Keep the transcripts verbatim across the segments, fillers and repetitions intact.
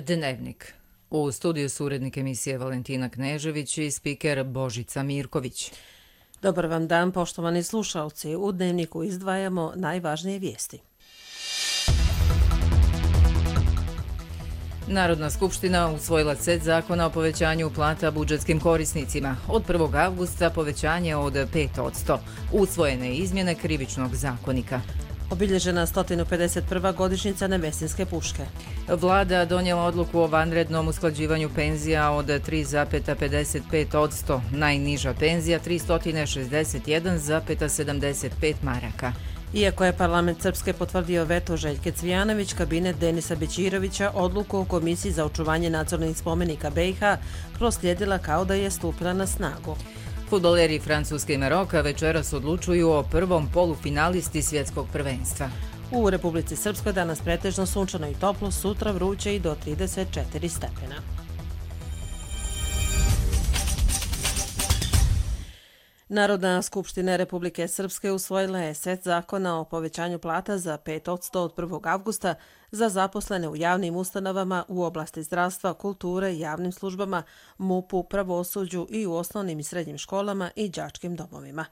Dnevnik. U studiju su urednik emisije Valentina Knežević i spiker Božica Mirković. Dobar vam dan, poštovani slušalci. U Dnevniku izdvajamo najvažnije vijesti. Narodna skupština usvojila set zakona o povećanju plata budžetskim korisnicima. Od prvog avgusta povećanje od pet posto. Usvojene izmjene Krivičnog zakonika. Obilježena sto pedeset prva godišnjica Nevesinske puške. Vlada donijela odluku o vanrednom usklađivanju penzija od tri zarez pedeset pet posto. Najniža penzija tristo šezdeset jedan zarez sedamdeset pet maraka. Iako je parlament Srpske potvrdio veto Željke Cvijanović, kabinet Denisa Bećirovića odluku o Komisiji za očuvanje nacionalnih spomenika B i H proslijedila kao da je stupila na snagu. Fudbaleri Francuske i Maroka večeras odlučuju o prvom polufinalisti svjetskog prvenstva. U Republici Srpskoj danas pretežno sunčano i toplo, sutra vruće i do trideset četiri stepena. Narodna skupština Republike Srpske usvojila je set zakona o povećanju plata za pet posto od prvog avgusta za zaposlene u javnim ustanovama u oblasti zdravstva, kulture, javnim službama, MUP-u, pravosuđu i u osnovnim i srednjim školama i đačkim domovima.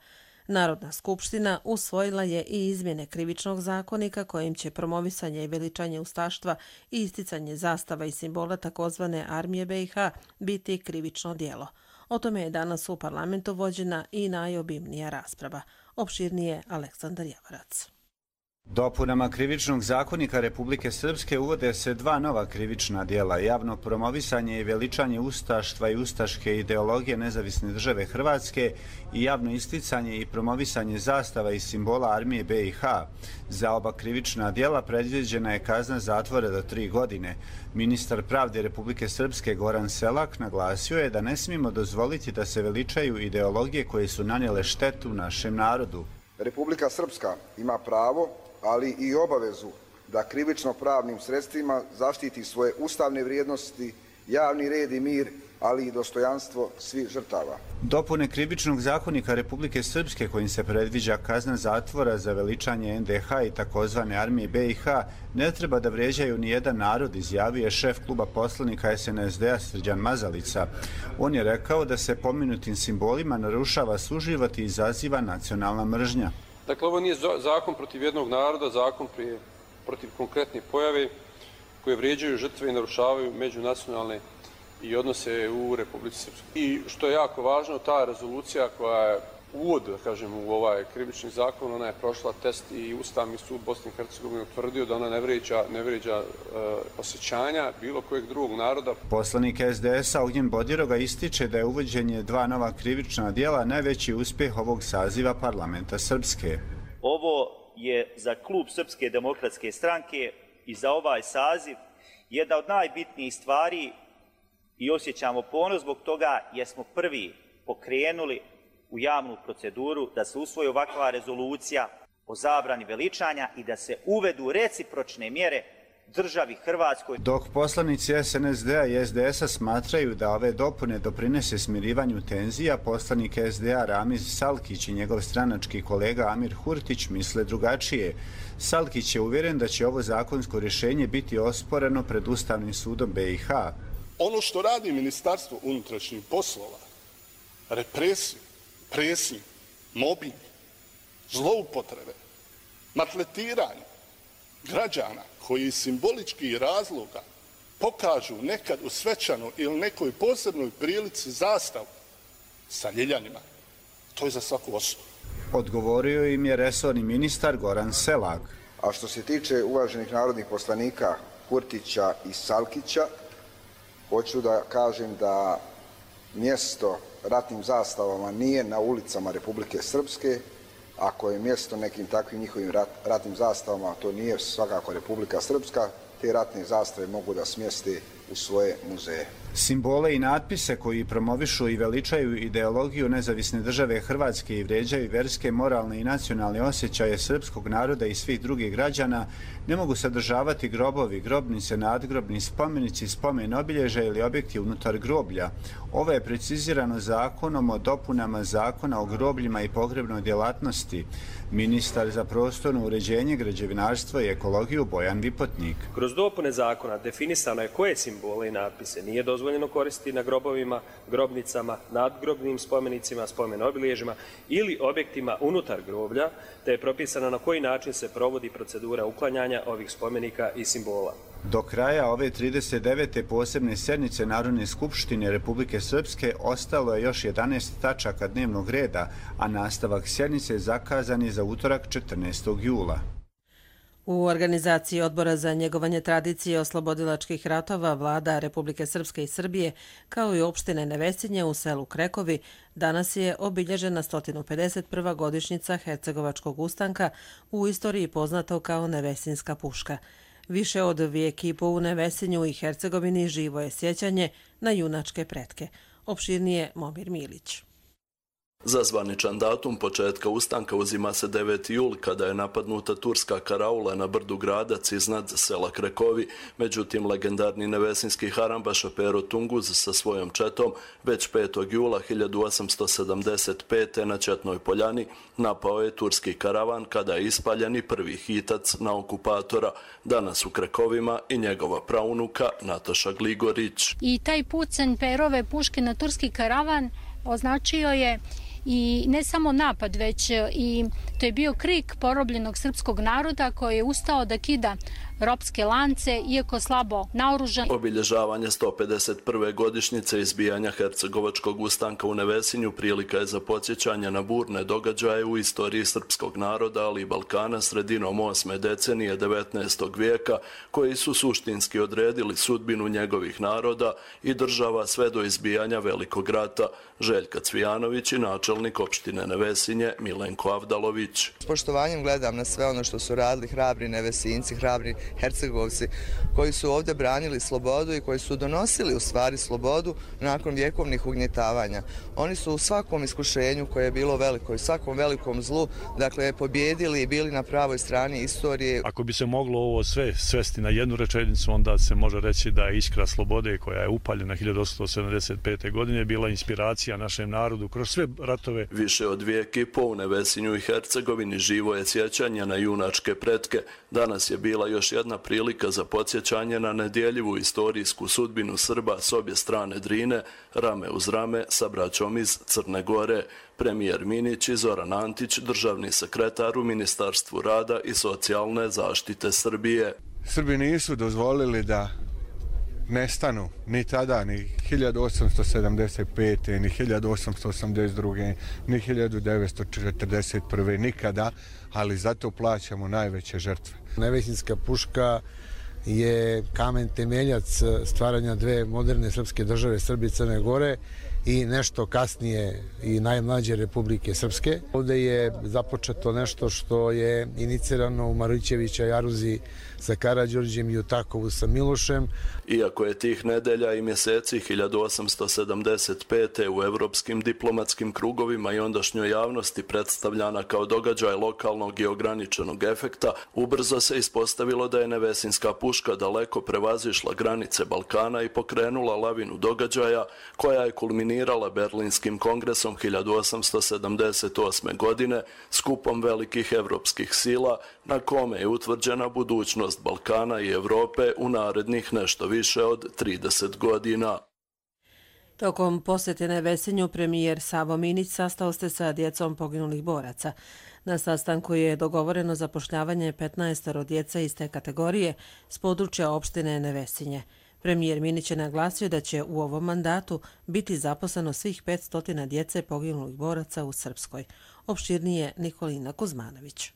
Narodna skupština usvojila je i izmjene Krivičnog zakonika kojim će promovisanje i veličanje ustaštva i isticanje zastava i simbola takozvane armije B i H biti krivično djelo. O tome je danas u parlamentu vođena i najobimnija rasprava. Opširnije Aleksandar Javarac. Dopunama Krivičnog zakonika Republike Srpske uvode se dva nova krivična djela, javno promovisanje i veličanje ustaštva i ustaške ideologije Nezavisne države Hrvatske i javno isticanje i promovisanje zastava i simbola armije B i H. Za oba krivična djela predviđena je kazna zatvora do tri godine. Ministar pravde Republike Srpske Goran Selak naglasio je da ne smijemo dozvoliti da se veličaju ideologije koje su nanijele štetu našem narodu. Republika Srpska ima pravo, ali i obavezu da krivično-pravnim sredstvima zaštiti svoje ustavne vrijednosti, javni red i mir, ali i dostojanstvo svih žrtava. Dopune Krivičnog zakonika Republike Srpske kojim se predviđa kazna zatvora za veličanje N D H i takozvane armije B i H ne treba da vrijeđaju ni jedan narod, izjavio je šef kluba poslanika S N S D-a Srđan Mazalica. On je rekao da se pomenutim simbolima narušava suživot i izaziva nacionalna mržnja. Dakle, ovo nije zakon protiv jednog naroda, zakon prije, protiv konkretne pojave koje vrijeđaju žrtve i narušavaju međunacionalne i odnose u Republici Srpskoj. I što je jako važno, ta rezolucija koja je uvod, da kažem, u ovaj krivični zakon, ona je prošla test i Ustavni sud Bosne i Hercegovine utvrdio da ona ne vrijeđa, ne vrijeđa e, osjećanja bilo kojeg drugog naroda. Poslanik S D S-a Ognjen Bodiroga ističe da je uvođenje dva nova krivična djela najveći uspjeh ovog saziva parlamenta Srpske. Ovo je za klub Srpske demokratske stranke i za ovaj saziv jedna od najbitnijih stvari i osjećamo ponos zbog toga jer smo prvi pokrenuli u javnu proceduru da se usvoji ovakva rezolucija o zabrani veličanja i da se uvedu recipročne mjere državi Hrvatskoj. Dok poslanici S N S D-a i S D S-a smatraju da ove dopune doprinese smirivanju tenzija, poslanik S D A Ramiz Salkić i njegov stranački kolega Amir Hurtić misle drugačije. Salkić je uvjeren da će ovo zakonsko rješenje biti osporeno pred Ustavnim sudom B i H. Ono što radi Ministarstvo unutrašnjih poslova, represiju, presnju, mobing, zloupotrebe, maltretiranje građana koji iz simboličkih razloga pokažu nekad u svečanoj ili nekoj posebnoj prilici zastavu sa ljiljanima. To je za svaku osudu. Odgovorio im je resorni ministar Goran Selak. A što se tiče uvaženih narodnih poslanika Kurtića i Salkića, hoću da kažem da mjesto ratnim zastavama nije na ulicama Republike Srpske. Ako je mjesto nekim takvim njihovim rat, ratnim zastavama, to nije svakako Republika Srpska, te ratne zastave mogu da smjeste u svoje muzeje. Simbole i natpise koji promovišu i veličaju ideologiju nezavisne države Hrvatske i vrijeđaju vjerske, moralne i nacionalne osjećaje srpskog naroda i svih drugih građana ne mogu sadržavati grobovi, grobnice, nadgrobni spomenici, spomen obilježja ili objekti unutar groblja. Ovo je precizirano zakonom o dopunama Zakona o grobljima i pogrebnoj djelatnosti. Ministar za prostorno uređenje, građevinarstvo i ekologiju Bojan Vipotnik. Kroz dopune zakona definisano je koje simbole i natpise nije dozvoljeno koristiti na grobovima, grobnicama, nadgrobnim spomenicima, spomen obilježjima ili objektima unutar groblja, te je propisano na koji način se provodi procedura uklanjanja ovih spomenika i simbola. Do kraja ove trideset devete posebne sjednice Narodne skupštine Republike Srpske ostalo je još jedanaest tačaka dnevnog reda, a nastavak sjednice je zakazan je za utorak četrnaestog jula. U organizaciji Odbora za njegovanje tradicije oslobodilačkih ratova Vlada Republike Srpske i Srbije, kao i opštine Nevesinje u selu Krekovi, danas je obilježena sto pedeset prva godišnjica Hercegovačkog ustanka, u istoriji poznato kao Nevesinska puška. Više od vijek i po u Nevesinju i Hercegovini živo je sjećanje na junačke pretke. Opširnije Momir Milić. Za zvaničan datum početka ustanka uzima se deveti jul kada je napadnuta turska karaula na brdu Gradac iznad sela Krekovi. Međutim, legendarni nevesinski harambaša Pero Tunguz sa svojom četom već petog jula hiljadu osamsto sedamdeset pete. na Četnoj poljani napao je turski karavan kada je ispaljeni prvi hitac na okupatora. Danas u Krekovima i njegova praunuka Nataša Gligorić. I taj pucanj Perove puške na turski karavan označio je i ne samo napad, već i to je bio krik porobljenog srpskog naroda koji je ustao da kida ropske lance, iako slabo naoružan. Obilježavanje sto pedeset prve godišnjice izbijanja Hercegovačkog ustanka u Nevesinju prilika je za podsjećanje na burne događaje u istoriji srpskog naroda, ali i Balkana sredinom osme decenije devetnaestog vijeka, koji su suštinski odredili sudbinu njegovih naroda i država sve do izbijanja Velikog rata. Željka Cvijanović i načelnik opštine Nevesinje Milenko Avdalović. S poštovanjem gledam na sve ono što su radili hrabri Nevesinci, hrabri Hercegovci koji su ovdje branili slobodu i koji su donosili u stvari slobodu nakon vjekovnih ugnjetavanja. Oni su u svakom iskušenju koje je bilo veliko i svakom velikom zlu, dakle, pobjedili i bili na pravoj strani istorije. Ako bi se moglo ovo sve svesti na jednu rečenicu, onda se može reći da je iskra slobode koja je upaljena hiljadu osamsto sedamdeset pete. godine bila inspiracija našem narodu kroz sve ratove. Više od vijek i po u Nevesinju i Hercegovini živo je sjećanje na junačke pretke. Danas je bila još jedna prilika za podsjećanje na nedjeljivu istorijsku sudbinu Srba s obje strane Drine, rame uz rame sa braćom iz Crne Gore. Premijer Minić i Zoran Antić, državni sekretar u Ministarstvu rada i socijalne zaštite Srbije. Srbi nisu dozvolili da nestanu ni tada, ni hiljadu osamsto sedamdeset pete. ni hiljadu osamsto osamdeset druge. ni hiljadu devetsto četrdeset prve. nikada, ali zato plaćamo najveće žrtve. Nevesinska puška je kamen temeljac stvaranja dve moderne srpske države, Srbije i Crne Gore, i nešto kasnije i najmlađe Republike Srpske. Ovdje je započeto nešto što je inicirano u Marućevića Jaruzi sa Karađorđem i u Takovu sa Milošem. Iako je tih nedelja i mjeseci hiljadu osamsto sedamdeset pete. u evropskim diplomatskim krugovima i ondašnjoj javnosti predstavljana kao događaj lokalnog i ograničenog efekta, ubrzo se ispostavilo da je Nevesinska puška daleko prevazišla granice Balkana i pokrenula lavinu događaja koja je kulminirala Berlinskim kongresom hiljadu osamsto sedamdeset osme. godine, skupom velikih evropskih sila na kome je utvrđena budućnost Balkana i Evrope u narednih nešto više od trideset godina. Tokom posjete Nevesinju premijer Savo Minić sastao se sa djecom poginulih boraca. Na sastanku je dogovoreno zapošljavanje petnaestoro djeca iz te kategorije s područja opštine Nevesinje. Premijer Minić je naglasio da će u ovom mandatu biti zaposleno svih petsto djece poginulih boraca u Srpskoj. Opširnije Nikolina Kuzmanović.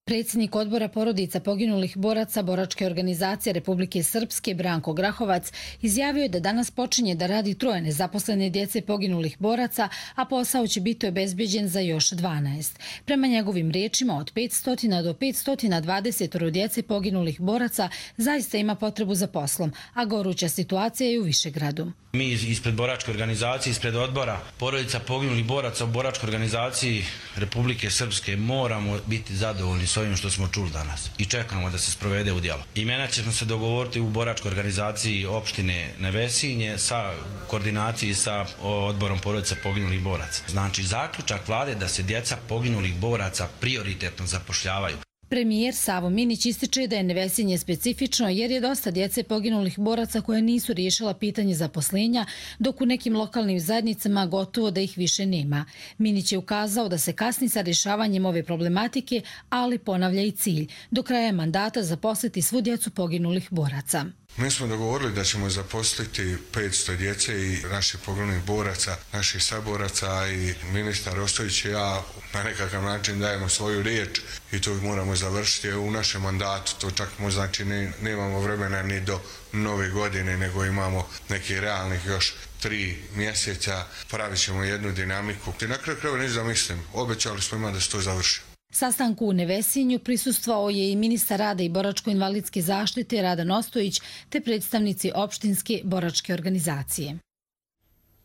Predsjednik odbora porodica poginulih boraca Boračke organizacije Republike Srpske Branko Grahovac izjavio je da danas počinje da radi troje nezaposlene djece poginulih boraca, a posao će biti obezbeđen za još dvanaest. Prema njegovim riječima, od petsto do petsto dvadeset djece poginulih boraca zaista ima potrebu za poslom, a goruća situacija je u Višegradu. Mi ispred Boračke organizacije, ispred odbora porodica poginulih boraca u Boračkoj organizaciji Republike Srpske moramo biti zadovoljni s ovim što smo čuli danas i čekamo da se sprovede u djelo. Imena ćemo se dogovoriti u Boračkoj organizaciji opštine Nevesinje sa koordinaciji sa odborom porodica poginulih boraca. Znači, zaključak vlade da se djeca poginulih boraca prioritetno zapošljavaju. Premijer Savo Minić ističe da je Nevesinje specifično jer je dosta djece poginulih boraca koje nisu riješila pitanje zaposlenja, dok u nekim lokalnim zajednicama gotovo da ih više nema. Minić je ukazao da se kasni sa rješavanjem ove problematike, ali ponavlja i cilj – do kraja mandata zaposliti svu djecu poginulih boraca. Mi smo dogovorili da ćemo zaposliti petsto djece i naših poginulih boraca, naših saboraca, i ministar Ostojić i ja na nekakav način dajemo svoju riječ i to moramo završiti u našem mandatu. To čak znači ne, nemamo vremena ni do nove godine, nego imamo nekih realnih još tri mjeseca, pravit ćemo jednu dinamiku. I na kraju krajeva neću da mislim, obećali smo ima da se to završi. Sastanku u Nevesinju prisustvovao je i ministar rada i boračko-invalidske zaštite Radan Ostojić te predstavnici opštinske boračke organizacije.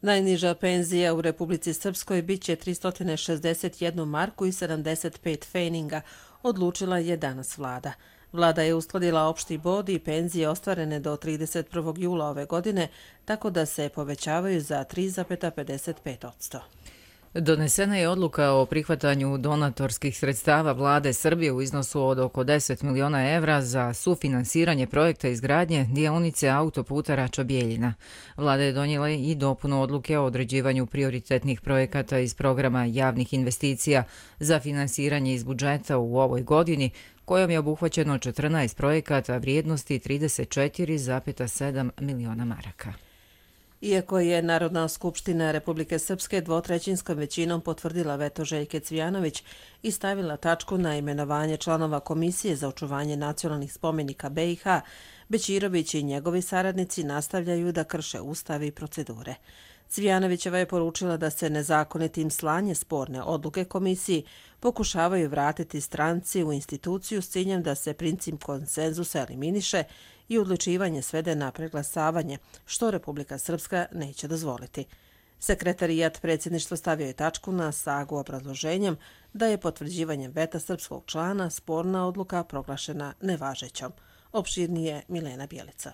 Najniža penzija u Republici Srpskoj bit će tristo šezdeset jedna marku i sedamdeset pet feninga, odlučila je danas vlada. Vlada je uskladila opšti bod i penzije ostvarene do trideset prvog jula ove godine, tako da se povećavaju za tri zarez pedeset pet posto. Donesena je odluka o prihvatanju donatorskih sredstava vlade Srbije u iznosu od oko deset miliona evra za sufinansiranje projekta izgradnje dionice autoputa Rača-Bjeljina. Vlada je donijela i dopunu odluke o određivanju prioritetnih projekata iz programa javnih investicija za finansiranje iz budžeta u ovoj godini, kojom je obuhvaćeno četrnaest projekata vrijednosti trideset četiri zarez sedam miliona maraka. Iako je Narodna skupština Republike Srpske dvotrećinskom većinom potvrdila veto Željke Cvijanović i stavila tačku na imenovanje članova Komisije za očuvanje nacionalnih spomenika B i H, Bećirović i njegovi saradnici nastavljaju da krše ustav i procedure. Cvijanovićeva je poručila da se nezakonitim slanje sporne odluke komisiji pokušavaju vratiti stranci u instituciju s ciljem da se princip konsenzusa eliminiše i odlučivanje svede na preglasavanje, što Republika Srpska neće dozvoliti. Sekretarijat predsjedništva stavio je tačku na sagu obrazloženjem da je potvrđivanjem veta srpskog člana sporna odluka proglašena nevažećom. Opširnije Milena Bjelica.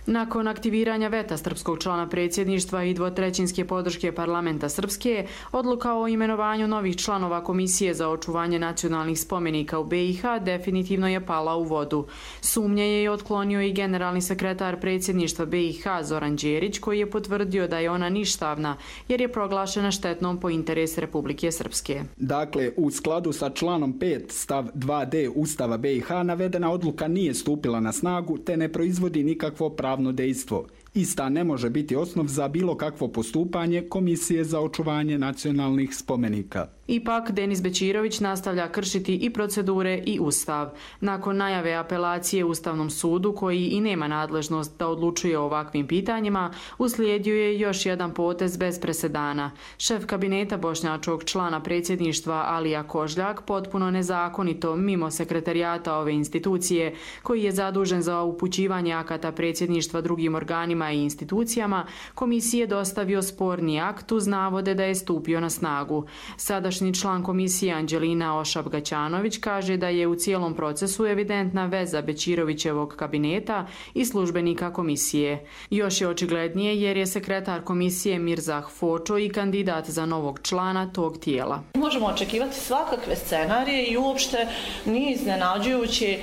Nakon aktiviranja veta srpskog člana predsjedništva i dvotrećinske podrške parlamenta Srpske, odluka o imenovanju novih članova Komisije za očuvanje nacionalnih spomenika u B i H definitivno je pala u vodu. Sumnje je otklonio i generalni sekretar predsjedništva B i H Zoran Đerić, koji je potvrdio da je ona ništavna jer je proglašena štetnom po interes Republike Srpske. Dakle, u skladu sa članom pet stav dva d Ustava B i H navedena odluka nije stupila na snagu te ne proizvodi nikakvo pravo pravno dejstvo. Ista ne može biti osnov za bilo kakvo postupanje Komisije za očuvanje nacionalnih spomenika. Ipak, Denis Bećirović nastavlja kršiti i procedure i ustav. Nakon najave apelacije Ustavnom sudu, koji i nema nadležnost da odlučuje o ovakvim pitanjima, uslijedio je još jedan potez bez presedana. Šef kabineta bošnjačkog člana predsjedništva Alija Kožljak potpuno nezakonito, mimo sekretarijata ove institucije, koji je zadužen za upućivanje akata predsjedništva drugim organima i institucijama, komisije dostavio sporni akt uz navode da je stupio na snagu. Sadašnji član komisije Anđelina Ošab-Gaćanović kaže da je u cijelom procesu evidentna veza Bećirovićevog kabineta i službenika komisije. Još je očiglednije jer je sekretar komisije Mirzah Fočo i kandidat za novog člana tog tijela. Možemo očekivati svakakve scenarije i uopšte nije iznenađujući,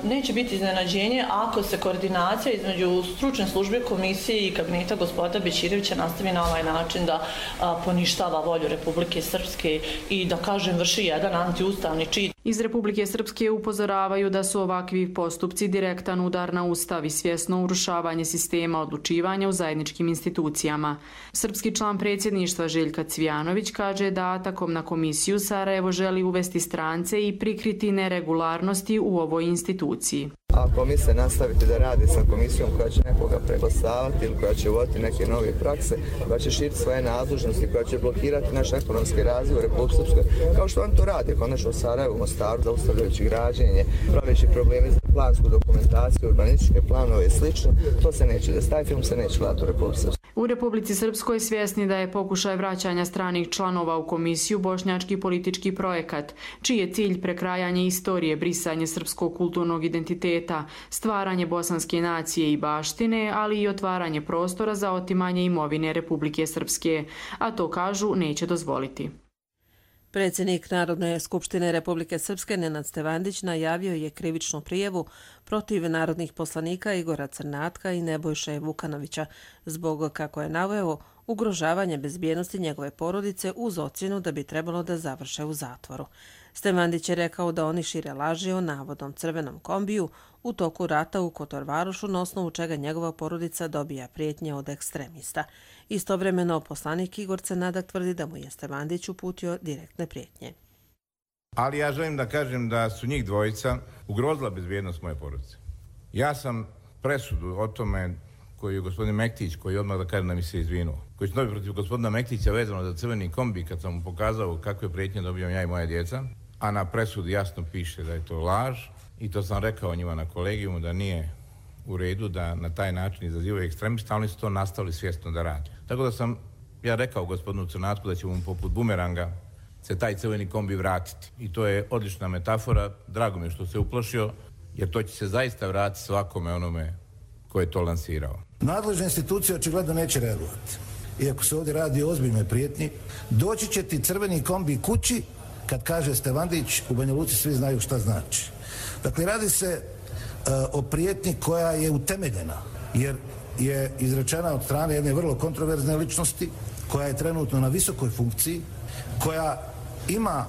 neće biti iznenađenje ako se koordinacija između stručne službe komisije i kabineta gospodina Bećirevića nastavi na ovaj način da poništava volju Republike Srpske i da, kažem, vrši jedan antiustavni čin. Iz Republike Srpske upozoravaju da su ovakvi postupci direktan udar na ustav i svjesno urušavanje sistema odlučivanja u zajedničkim institucijama. Srpski član predsjedništva Željka Cvijanović kaže da atakom na komisiju Sarajevo želi uvesti strance i prikriti neregularnosti u ovoj instituciji. Ako misle nastaviti da radi sa komisijom koja će nekoga preglasavati ili koja će uvoditi neke nove prakse, koja će širiti svoje nadležnosti, koja će blokirati naš ekonomski razvoj u Republike Srpskoj, kao što on to radi, konačno u Sarajevu, Mostaru, zaustavljajući građenje, praveći problemi za plansku dokumentaciju, urbanističke planove i slično, to se neće desiti. Taj film se neće gledati u Republike Srpskoj. U Republici Srpskoj svjesni da je pokušaj vraćanja stranih članova u komisiju bošnjački politički projekat, čiji je cilj prekrajanje istorije, brisanje srpskog kulturnog identiteta, stvaranje bosanske nacije i baštine, ali i otvaranje prostora za otimanje imovine Republike Srpske, a to, kažu, neće dozvoliti. Predsjednik Narodne skupštine Republike Srpske Nenad Stevandić najavio je krivičnu prijavu protiv narodnih poslanika Igora Crnatka i Nebojše Vukanovića zbog, kako je naveo, ugrožavanje bezbjednosti njegove porodice uz ocjenu da bi trebalo da završe u zatvoru. Stevandić je rekao da oni šire laži o navodnom crvenom kombiju u toku rata u Kotorvarošu, na osnovu čega njegova porodica dobija prijetnje od ekstremista. Istovremeno, poslanik Igor Crnadak tvrdi da mu je Stevandić uputio direktne prijetnje. Ali ja želim da kažem da su njih dvojica ugrozila bezbjednost moje porodice. Ja sam presudu o tome koju je gospodin Mektić, koji odmah da kažem da mi se izvinuo, koji su dobili protiv gospodina Mektića vezano za crveni kombi, kad sam mu pokazao kakve prijetnje dobijam ja i moja djeca, a na presudi jasno piše da je to laž, i to sam rekao njima na kolegijumu da nije u redu da na taj način izazivaju ekstremista, ali oni su to nastavili svjesno da radi. Tako da sam ja rekao gospodinu Crnatku da će mu poput bumeranga se taj crveni kombi vratiti. I to je odlična metafora, drago mi je što se uplašio, jer to će se zaista vratiti svakome onome ko je to lansirao. Nadležne institucije očigledno neće reagovati. Iako se ovdje radi o ozbiljnoj prijetnji, doći će ti crveni kombi kući kad kaže Stevandić, u Banja Luci svi znaju šta znači. Dakle, radi se uh, o prijetnji koja je utemeljena, jer je izrečena od strane jedne vrlo kontroverzne ličnosti, koja je trenutno na visokoj funkciji, koja ima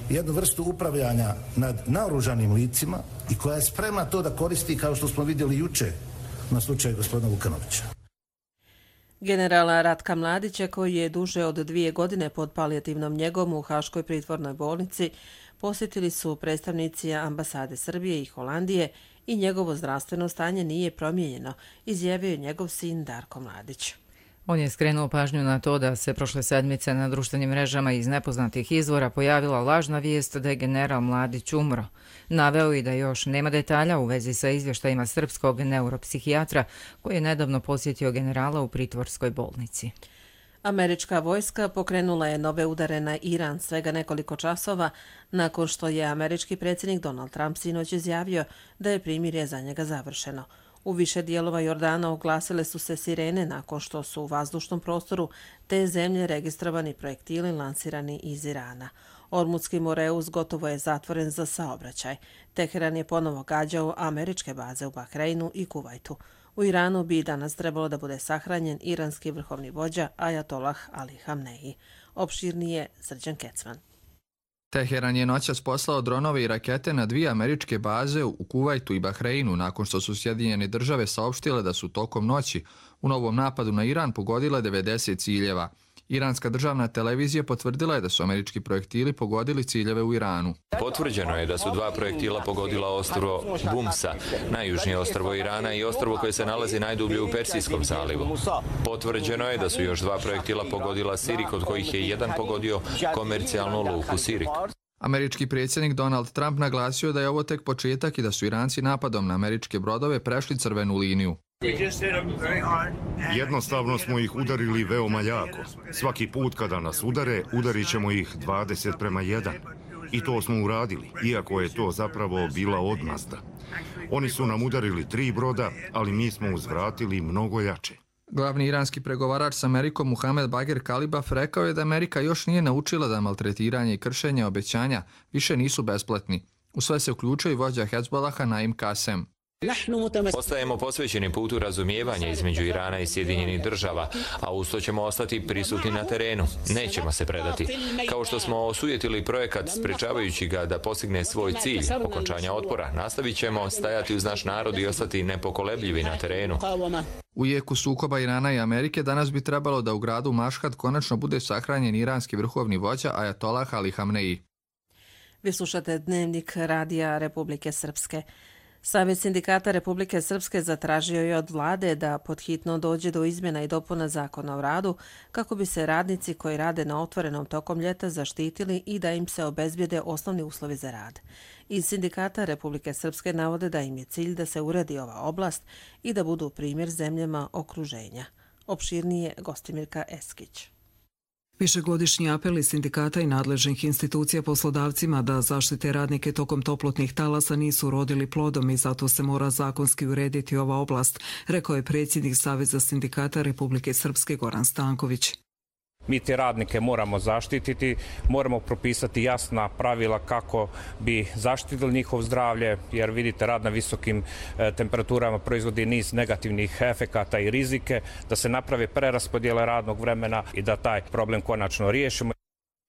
jednu vrstu upravljanja nad naoružanim licima i koja je spremna to da koristi, kao što smo vidjeli juče na slučaju gospodina Vukanovića. Generala Ratka Mladića, koji je duže od dvije godine pod palijativnom njegom u Haškoj pritvornoj bolnici, posjetili su predstavnici ambasade Srbije i Holandije i njegovo zdravstveno stanje nije promijenjeno, izjavio je njegov sin Darko Mladić. On je skrenuo pažnju na to da se prošle sedmice na društvenim mrežama iz nepoznatih izvora pojavila lažna vijest da je general Mladić umro. Naveo i da još nema detalja u vezi sa izvještajima srpskog neuropsihijatra koji je nedavno posjetio generala u pritvorskoj bolnici. Američka vojska pokrenula je nove udare na Iran svega nekoliko časova nakon što je američki predsjednik Donald Trump sinoć izjavio da je primirje za njega završeno. U više dijelova Jordana oglasile su se sirene nakon što su u vazdušnom prostoru te zemlje registrovani projektili lansirani iz Irana. Ormutski Moreus gotovo je zatvoren za saobraćaj. Teheran je ponovo gađao američke baze u Bahreinu i Kuvajtu. U Iranu bi danas trebalo da bude sahranjen iranski vrhovni vođa Ajatolah Ali Hamneji. Opširnije Srđan Kecman. Teheran je noćas poslao dronove i rakete na dvije američke baze u Kuvajtu i Bahreinu nakon što su Sjedinjene države saopštile da su tokom noći u novom napadu na Iran pogodile devedeset ciljeva. Iranska državna televizija potvrdila je da su američki projektili pogodili ciljeve u Iranu. Potvrđeno je da su dva projektila pogodila ostrvo Bumsa, najjužnije ostrvo Irana i ostrvo koje se nalazi najdublje u Persijskom zalivu. Potvrđeno je da su još dva projektila pogodila Sirik, od kojih je jedan pogodio komercijalnu luku Sirik. Američki predsjednik Donald Trump naglasio da je ovo tek početak i da su Iranci napadom na američke brodove prešli crvenu liniju. Jednostavno smo ih udarili veoma jako. Svaki put kada nas udare, udarit ćemo ih dvadeset prema jedan. I to smo uradili, iako je to zapravo bila odmazda. Oni su nam udarili tri broda, ali mi smo uzvratili mnogo jače. Glavni iranski pregovarač s Amerikom Muhamed Bagher Kalibaf rekao je da Amerika još nije naučila da maltretiranje i kršenje obećanja više nisu besplatni. U sve se uključuje i vođa Hezbolaha Naim Kasem. Ostajemo posvećeni putu razumijevanja između Irana i Sjedinjenih država, a uz to ćemo ostati prisutni na terenu. Nećemo se predati. Kao što smo osujetili projekat sprečavajući ga da postigne svoj cilj, okončanja otpora, nastavit ćemo stajati uz naš narod i ostati nepokolebljivi na terenu. U jeku sukoba Irana i Amerike danas bi trebalo da u gradu Mašhad konačno bude sahranjen iranski vrhovni vođa Ajatolah Ali Hamneji. Vi slušate Dnevnik Radija Republike Srpske. Savez sindikata Republike Srpske zatražio je od vlade da podhitno dođe do izmjena i dopuna zakona o radu kako bi se radnici koji rade na otvorenom tokom ljeta zaštitili i da im se obezbijede osnovni uslovi za rad. Iz sindikata Republike Srpske navode da im je cilj da se uredi ova oblast i da budu primjer zemljama okruženja. Opširnije Gostimirka Eskić. Višegodišnji apeli sindikata i nadležnih institucija poslodavcima da zaštite radnike tokom toplotnih talasa nisu rodili plodom i zato se mora zakonski urediti ova oblast, rekao je predsjednik Saveza sindikata Republike Srpske Goran Stanković. Mi te radnike moramo zaštititi, moramo propisati jasna pravila kako bi zaštitili njihov zdravlje, jer vidite rad na visokim temperaturama proizvodi niz negativnih efekata i rizike, da se naprave preraspodjele radnog vremena i da taj problem konačno riješimo.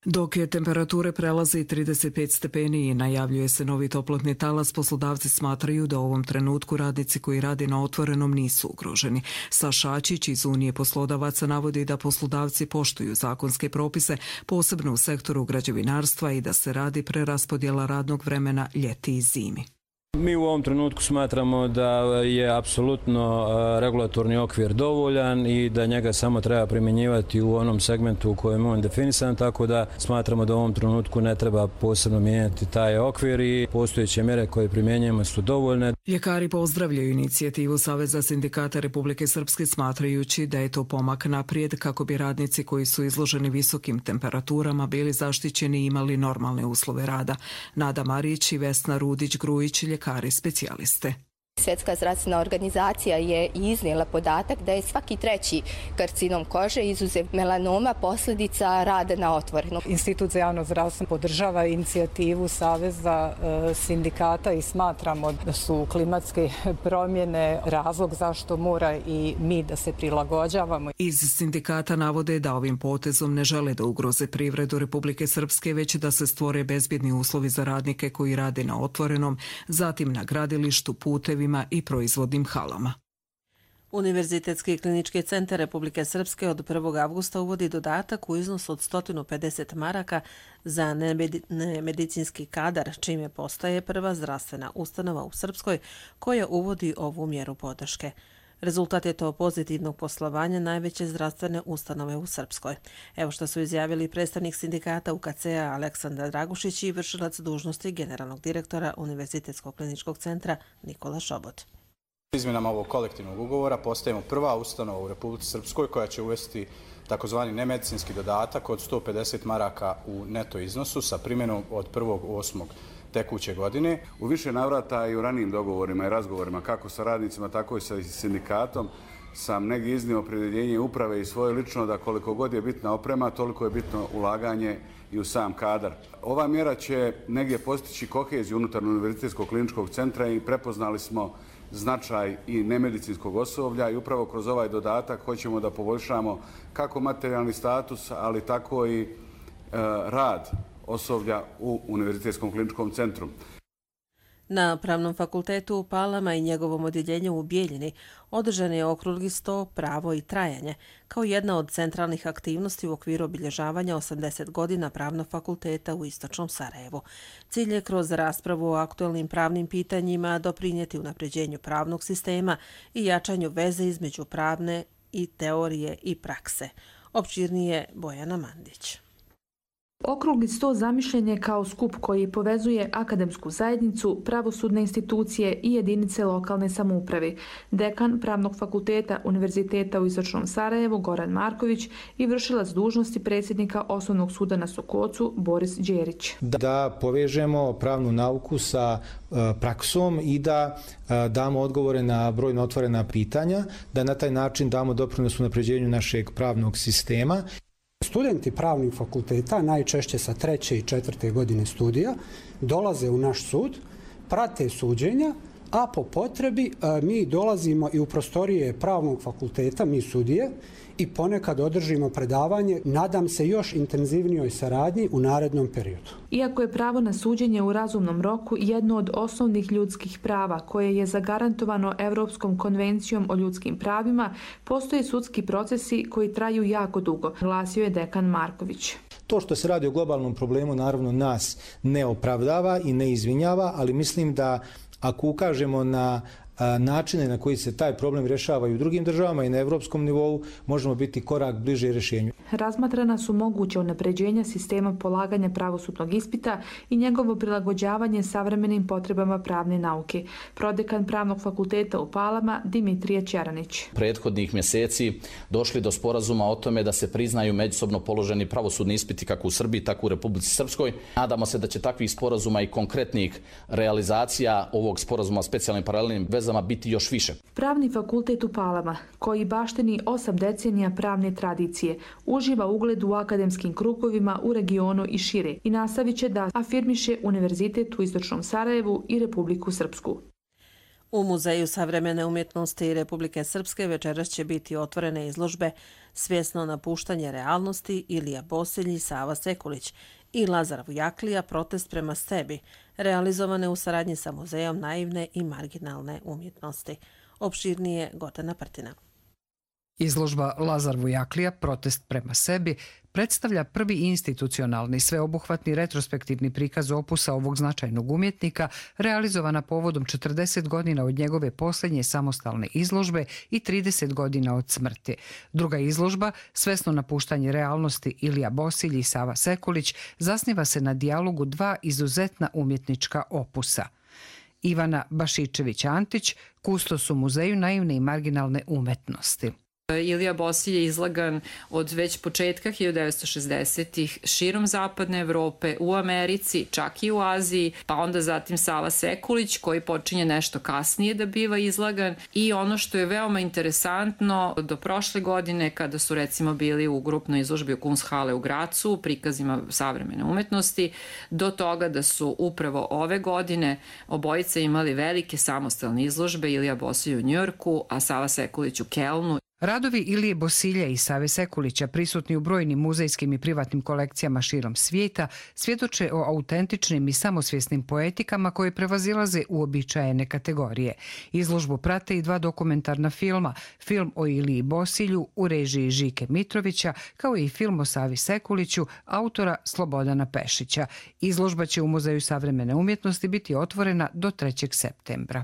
Dok je temperature prelazi trideset pet stepeni i najavljuje se novi toplotni talas, poslodavci smatraju da u ovom trenutku radnici koji rade na otvorenom nisu ugroženi. Saša Ačić iz Unije poslodavaca navodi da poslodavci poštuju zakonske propise, posebno u sektoru građevinarstva i da se radi preraspodjela radnog vremena ljeti i zimi. Mi u ovom trenutku smatramo da je apsolutno regulatorni okvir dovoljan i da njega samo treba primjenjivati u onom segmentu u kojem je on definisan, tako da smatramo da u ovom trenutku ne treba posebno mijenjati taj okvir i postojeće mjere koje primjenjujemo su dovoljne. Ljekari pozdravljaju inicijativu Saveza sindikata Republike Srpske smatrajući da je to pomak naprijed kako bi radnici koji su izloženi visokim temperaturama bili zaštićeni i imali normalne uslove rada. Nada Marić i Vesna Rudić-Grujić, ljekari specijaliste. Svjetska zdravstvena organizacija je iznijela podatak da je svaki treći karcinom kože izuzev melanoma posljedica rada na otvorenom. Institut za javno zdravstvo podržava inicijativu Saveza sindikata i smatramo da su klimatske promjene razlog zašto mora i mi da se prilagođavamo. Iz sindikata navode da ovim potezom ne žele da ugroze privredu Republike Srpske, već da se stvore bezbjedni uslovi za radnike koji rade na otvorenom, zatim na gradilištu, putevima i proizvodnim halama. Univerzitetski klinički centar Republike Srpske od prvog avgusta uvodi dodatak u iznosu od sto pedeset maraka za nemedicinski kadar, čime postaje prva zdravstvena ustanova u Srpskoj koja uvodi ovu mjeru podrške. Rezultat je to pozitivnog poslovanja najveće zdravstvene ustanove u Srpskoj. Evo što su izjavili predstavnik sindikata U K C-a Aleksandar Dragušić i vršilac dužnosti generalnog direktora Univerzitetskog kliničkog centra Nikola Šobot. Izmjenama ovog kolektivnog ugovora postajemo prva ustanova u Republici Srpskoj koja će uvesti takozvani nemedicinski dodatak od sto pedeset maraka u neto iznosu sa primjenom od prvog osmog tekuće godine. U više navrata i u ranijim dogovorima i razgovorima kako sa radnicima, tako i sa sindikatom sam negdje iznio opredjeljenje uprave i svoje lično da koliko god je bitna oprema, toliko je bitno ulaganje i u sam kadar. Ova mjera će negdje postići koheziju unutar Univerzitetskog kliničkog centra i prepoznali smo značaj i nemedicinskog osoblja i upravo kroz ovaj dodatak hoćemo da poboljšamo kako materijalni status, ali tako i e, rad osoblja u Univerzitetskom kliničkom centru. Na Pravnom fakultetu u Palama i njegovom odjeljenju u Bijeljini održan je okrugli sto Pravo i trajanje, kao jedna od centralnih aktivnosti u okviru obilježavanja osamdeset godina Pravnog fakulteta u Istočnom Sarajevu. Cilj je kroz raspravu o aktualnim pravnim pitanjima doprinijeti unapređenju pravnog sistema i jačanju veze između pravne i teorije i prakse. Opširnije Bojana Mandić. Okrugli sto zamišljen je kao skup koji povezuje akademsku zajednicu, pravosudne institucije i jedinice lokalne samouprave. Dekan Pravnog fakulteta Univerziteta u Istočnom Sarajevu Goran Marković i vršilac dužnosti predsjednika Osnovnog suda na Sokocu Boris Đerić. Da povežemo pravnu nauku sa praksom i da damo odgovore na brojno otvorena pitanja, da na taj način damo doprinos unapređenju našeg pravnog sistema. Studenti pravnih fakulteta, najčešće sa treće i četvrte godine studija, dolaze u naš sud, prate suđenja a po potrebi mi dolazimo i u prostorije pravnog fakulteta, mi sudije, i ponekad održimo predavanje, nadam se još intenzivnijoj saradnji u narednom periodu. Iako je pravo na suđenje u razumnom roku jedno od osnovnih ljudskih prava koje je zagarantovano Evropskom konvencijom o ljudskim pravima, postoje sudski procesi koji traju jako dugo, glasio je dekan Marković. To što se radi o globalnom problemu naravno nas ne opravdava i ne izvinjava, ali mislim da ako ukažemo na načine na koji se taj problem rješava i u drugim državama i na evropskom nivou, možemo biti korak bliže rješenju. Razmatrana su moguće unapređenja sistema polaganja pravosudnog ispita i njegovo prilagođavanje savremenim potrebama pravne nauke. Prodekan Pravnog fakulteta u Palama Dimitrije Čeranić. Prethodnih mjeseci došli do sporazuma o tome da se priznaju međusobno položeni pravosudni ispiti kako u Srbiji, tako u Republici Srpskoj. Nadamo se da će takvih sporazuma i konkretnih realizacija ovog sporazuma o specijalnim paralelnim vezama biti još više. Pravni fakultet u Palama, koji baštini osam decenija pravne tradicije, uživa ugled u akademskim krugovima u regionu i šire i nastavit će da afirmiše Univerzitet u Istočnom Sarajevu i Republiku Srpsku. U Muzeju savremene umjetnosti Republike Srpske večeras će biti otvorene izložbe Svjesno napuštanje realnosti Ilija Bosilj i Sava Sekulić i Lazar Vujaklija Protest prema sebi, realizovane u saradnji sa Muzejom naivne i marginalne umjetnosti. Opširnije Gotana Prtina. Izložba Lazar Vujaklija Protest prema sebi predstavlja prvi institucionalni sveobuhvatni retrospektivni prikaz opusa ovog značajnog umjetnika, realizovana povodom četrdeset godina od njegove posljednje samostalne izložbe i trideset godina od smrti. Druga izložba, Svesno napuštanje realnosti Ilija Bosilj i Sava Sekulić, zasniva se na dijalogu dva izuzetna umjetnička opusa. Ivana Bašičević-Antić, kustos u Muzeju naivne i marginalne umetnosti. Ilija Bosilj je izlagan od već početka hiljadu devetsto šezdesetih širom zapadne Evrope, u Americi, čak i u Aziji, pa onda zatim Sava Sekulić koji počinje nešto kasnije da biva izlagan i ono što je veoma interesantno do prošle godine kada su recimo bili u grupnoj izložbi u Kunsthalle u Gracu, prikazima savremene umetnosti, do toga da su upravo ove godine obojice imali velike samostalne izložbe, Ilija Bosilj u Njujorku, a Sava Sekulić u Kelnu. Radovi Ilije Bosilja i Save Sekulića, prisutni u brojnim muzejskim i privatnim kolekcijama širom svijeta, svjedoče o autentičnim i samosvjesnim poetikama koje prevazilaze uobičajene kategorije. Izložbu prate i dva dokumentarna filma, film o Iliji Bosilju u režiji Žike Mitrovića, kao i film o Savi Sekuliću, autora Slobodana Pešića. Izložba će u Muzeju savremene umjetnosti biti otvorena do trećeg septembra.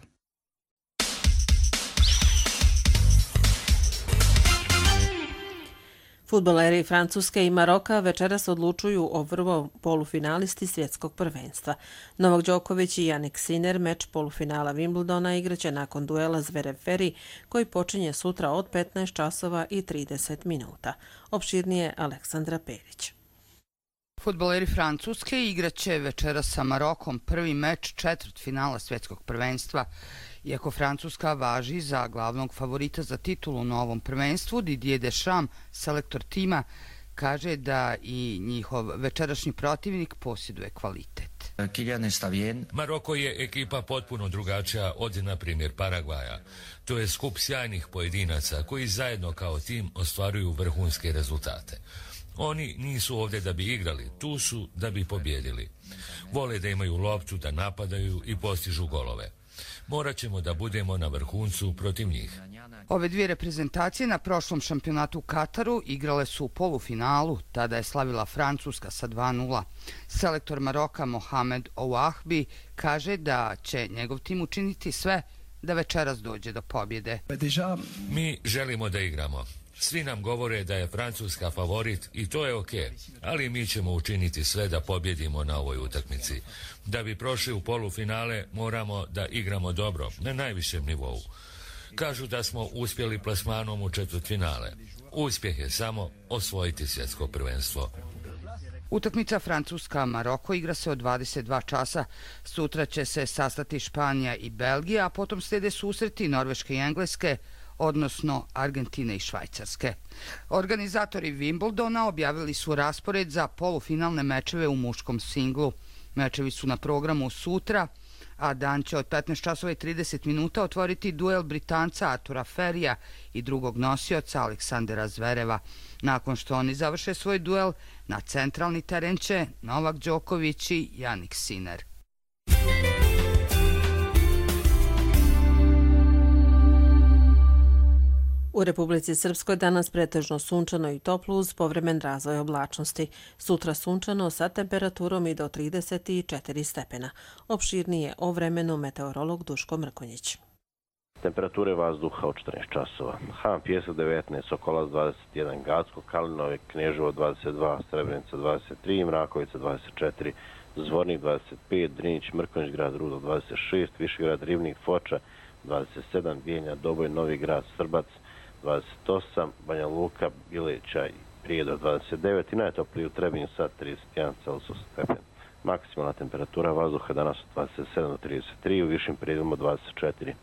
Fudbaleri Francuske i Maroka večeras odlučuju o prvom polufinalisti svjetskog prvenstva. Novak Đoković i Jannik Sinner meč polufinala Wimbledona igraće nakon duela Zverev-Ferry koji počinje sutra od petnaest časova i trideset minuta. Opširnije Aleksandra Perić. Fudbaleri Francuske igraće večeras sa Marokom prvi meč četvrtfinala svjetskog prvenstva. Iako Francuska važi za glavnog favorita za titulu na ovom prvenstvu, Didier Deschamps, selektor tima, kaže da i njihov večerašnji protivnik posjeduje kvalitet. Maroko je ekipa potpuno drugačija od, na primjer, Paragvaja. To je skup sjajnih pojedinaca koji zajedno kao tim ostvaruju vrhunske rezultate. Oni nisu ovdje da bi igrali, tu su da bi pobjedili. Vole da imaju loptu, da napadaju i postižu golove. Morat ćemo da budemo na vrhuncu protiv njih. Ove dvije reprezentacije na prošlom šampionatu u Kataru igrale su u polufinalu, tada je slavila Francuska sa dva nula. Selektor Maroka Mohamed Ouahbi kaže da će njegov tim učiniti sve da večeras dođe do pobjede. Mi želimo da igramo. Svi nam govore da je Francuska favorit i to je ok, ali mi ćemo učiniti sve da pobjedimo na ovoj utakmici. Da bi prošli u polufinale moramo da igramo dobro, na najvišem nivou. Kažu da smo uspjeli plasmanom u četvrtfinale. Uspjeh je samo osvojiti svjetsko prvenstvo. Utakmica Francuska-Maroko igra se od dvadeset dva časa. Sutra će se sastati Španija i Belgija, a potom slijede susreti Norveške i Engleske, odnosno Argentine i Švajcarske. Organizatori Wimbledona objavili su raspored za polufinalne mečeve u muškom singlu. Mečevi su na programu sutra, a dan će od petnaest časova i trideset minuta otvoriti duel Britanca Artura Ferija i drugog nosioca Aleksandera Zvereva. Nakon što oni završe svoj duel, na centralni teren će Novak Đoković i Jannik Sinner. U Republici Srpskoj danas pretežno sunčano i toplo uz povremen razvoj oblačnosti. Sutra sunčano sa temperaturom i do trideset četiri stepena. Opširnije o vremenu meteorolog Duško Mrkonjić. Temperature vazduha od četrnaest časova. Han Pjesak devetnaest, Sokolac dvadeset jedan, Gacko, Kalinove, Kneževo dvadeset dva, Srebrenica dvadeset tri, Mrakovica dvadeset četiri, Zvornik dvadeset pet, Drinić, Mrkonjić, grad Rudo dvadeset šest, Višegrad, Rivnik, Foča dvadeset sedam, Bijenja, Doboj, Novi grad, Srbac dvadeset osam, Banja Luka, Bileća i Prijedor dvadeset devet i najtopliji u Trebinju sad trideset jedan Celsius stepen. Maksimalna temperatura vazduha danas od dvadeset sedam do trideset tri, u višim prijedima dvadeset četiri.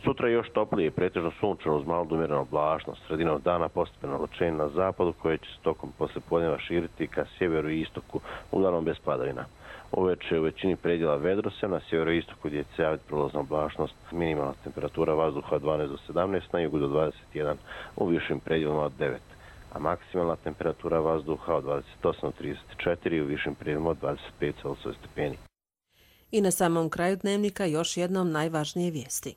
Sutra još toplije, pretežno sunčano uz malo umjerenu oblačnost. Sredinom dana postepeno oblačenje na zapadu koje će se tokom poslijepodneva širiti ka sjeveru i istoku, uglavnom bez padavina. Uveče u većini predjela vedrosja, na sjeveroistoku gdje će se javiti prolazna oblačnost, minimalna temperatura vazduha od dvanaest do sedamnaest, na jugu do dvadeset jedan, u višim predjelima od devet, a maksimalna temperatura vazduha od dvadeset osam do trideset četiri, u višim predjelima od dvadeset pet Celsius stepeni. I na samom kraju dnevnika još jednom najvažnije vijesti.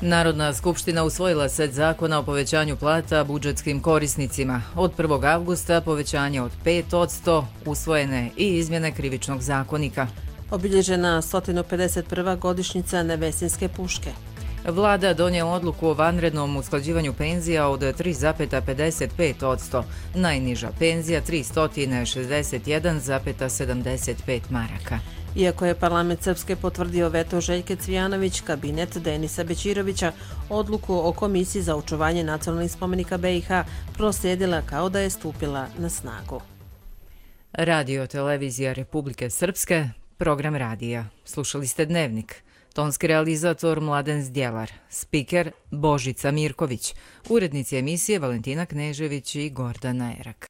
Narodna skupština usvojila set zakona o povećanju plata budžetskim korisnicima. Od prvog avgusta povećanje od pet posto, usvojene i izmjene krivičnog zakonika. Obilježena sto pedeset prva godišnjica Nevesinske puške. Vlada donijela odluku o vanrednom usklađivanju penzija od tri zarez pedeset pet posto. Najniža penzija tristo šezdeset jedan zarez sedamdeset pet maraka. Iako je parlament Srpske potvrdio veto Željke Cvijanović, kabinet Denisa Bećirovića odluku o Komisiji za očuvanje nacionalnih spomenika B i H proslijedila kao da je stupila na snagu. Radio Televizija Republike Srpske, program radija. Slušali ste Dnevnik. Tonski realizator Mladen Zdjelar, spiker Božica Mirković, urednici emisije Valentina Knežević i Gordana Erak.